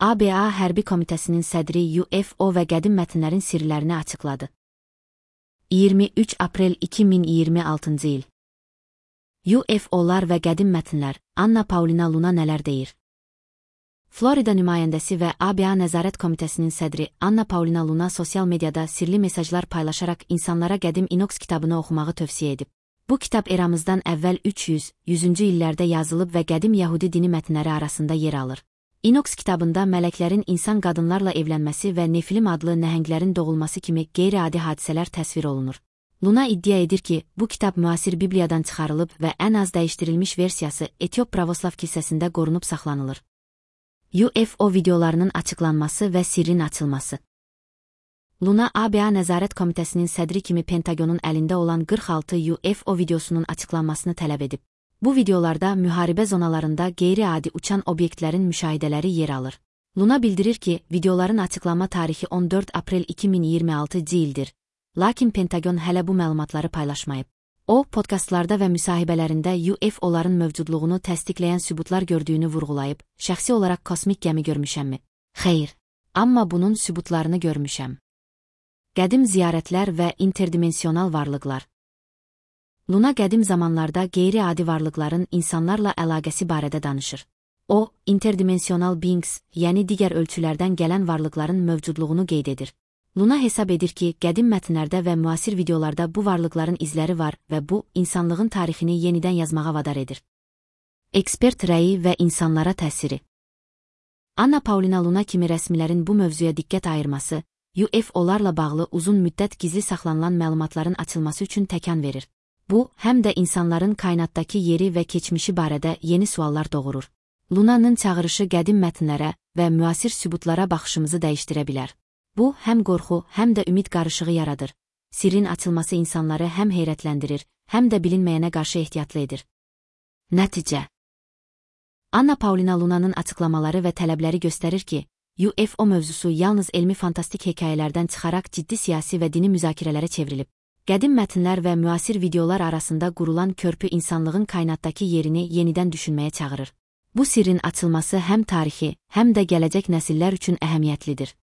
ABA Hərbi Komitəsinin sədri UFO və qədim mətnlərin sirlərini açıqladı. 23 aprel 2026-cı il. UFO'lar və qədim mətnlər, Anna Paulina Luna nələr deyir? Florida nümayəndəsi və ABA Nəzarət Komitəsinin sədri Anna Paulina Luna sosial mediada sirli mesajlar paylaşaraq insanlara qədim Inox kitabını oxumağı tövsiyə edib. Bu kitab eramızdan əvvəl 300-100-cü illərdə yazılıb və qədim Yahudi dini mətnləri arasında yer alır. Inox kitabında mələklərin insan qadınlarla evlənməsi və Nefilim adlı nəhənglərin doğulması kimi qeyri-adi hadisələr təsvir olunur. Luna iddia edir ki, bu kitab müasir Bibliyadan çıxarılıb və ən az dəyişdirilmiş versiyası Etiop Pravoslav kilsəsində qorunub saxlanılır. UFO videolarının açıqlanması və sirrin açılması. Luna ABA Nəzarət Komitəsinin sədri kimi Pentagonun əlində olan 46 UFO videosunun açıqlanmasını tələb edib. Bu videolarda müharibə zonalarında qeyri-adi uçan obyektlərin müşahidələri yer alır. Luna bildirir ki, videoların açıqlanma tarixi 14 aprel 2026-cı ildir. Lakin Pentagon hələ bu məlumatları paylaşmayıb. O, podkastlarda və müsahibələrində UFO'ların mövcudluğunu təsdiqləyən sübutlar gördüyünü vurğulayıb, şəxsi olaraq kosmik gəmi görmüşəmmi? Xeyr, amma bunun sübutlarını görmüşəm. Qədim ziyarətlər və interdimensional varlıqlar. Luna qədim zamanlarda qeyri-adi varlıqların insanlarla əlaqəsi barədə danışır. O, interdimensional beings, yəni digər ölçülərdən gələn varlıqların mövcudluğunu qeyd edir. Luna hesab edir ki, qədim mətnlərdə və müasir videolarda bu varlıqların izləri var və bu, insanlığın tarixini yenidən yazmağa vadar edir. Ekspert rəyi və insanlara təsiri. Anna Paulina Luna kimi rəsmilərin bu mövzuya diqqət ayırması, UFO'larla bağlı uzun müddət gizli saxlanılan məlumatların açılması üçün təkan verir. Bu, həm də insanların kainatdakı yeri və keçmişi barədə yeni suallar doğurur. Luna'nın çağırışı qədim mətnlərə və müasir sübutlara baxışımızı dəyişdirə bilər. Bu, həm qorxu, həm də ümid qarışığı yaradır. Sirrin açılması insanları həm heyrətləndirir, həm də bilinməyənə qarşı ehtiyatlı edir. Nəticə. Anna Paulina Luna'nın açıqlamaları və tələbləri göstərir ki, UFO mövzusu yalnız elmi fantastik hekayələrdən çıxaraq ciddi siyasi və dini müzakirələrə çevrilib. Qədim mətnlər və müasir videolar arasında qurulan körpü insanlığın kainatdakı yerini yenidən düşünməyə çağırır. Bu sirrin açılması həm tarixi, həm də gələcək nəsillər üçün əhəmiyyətlidir.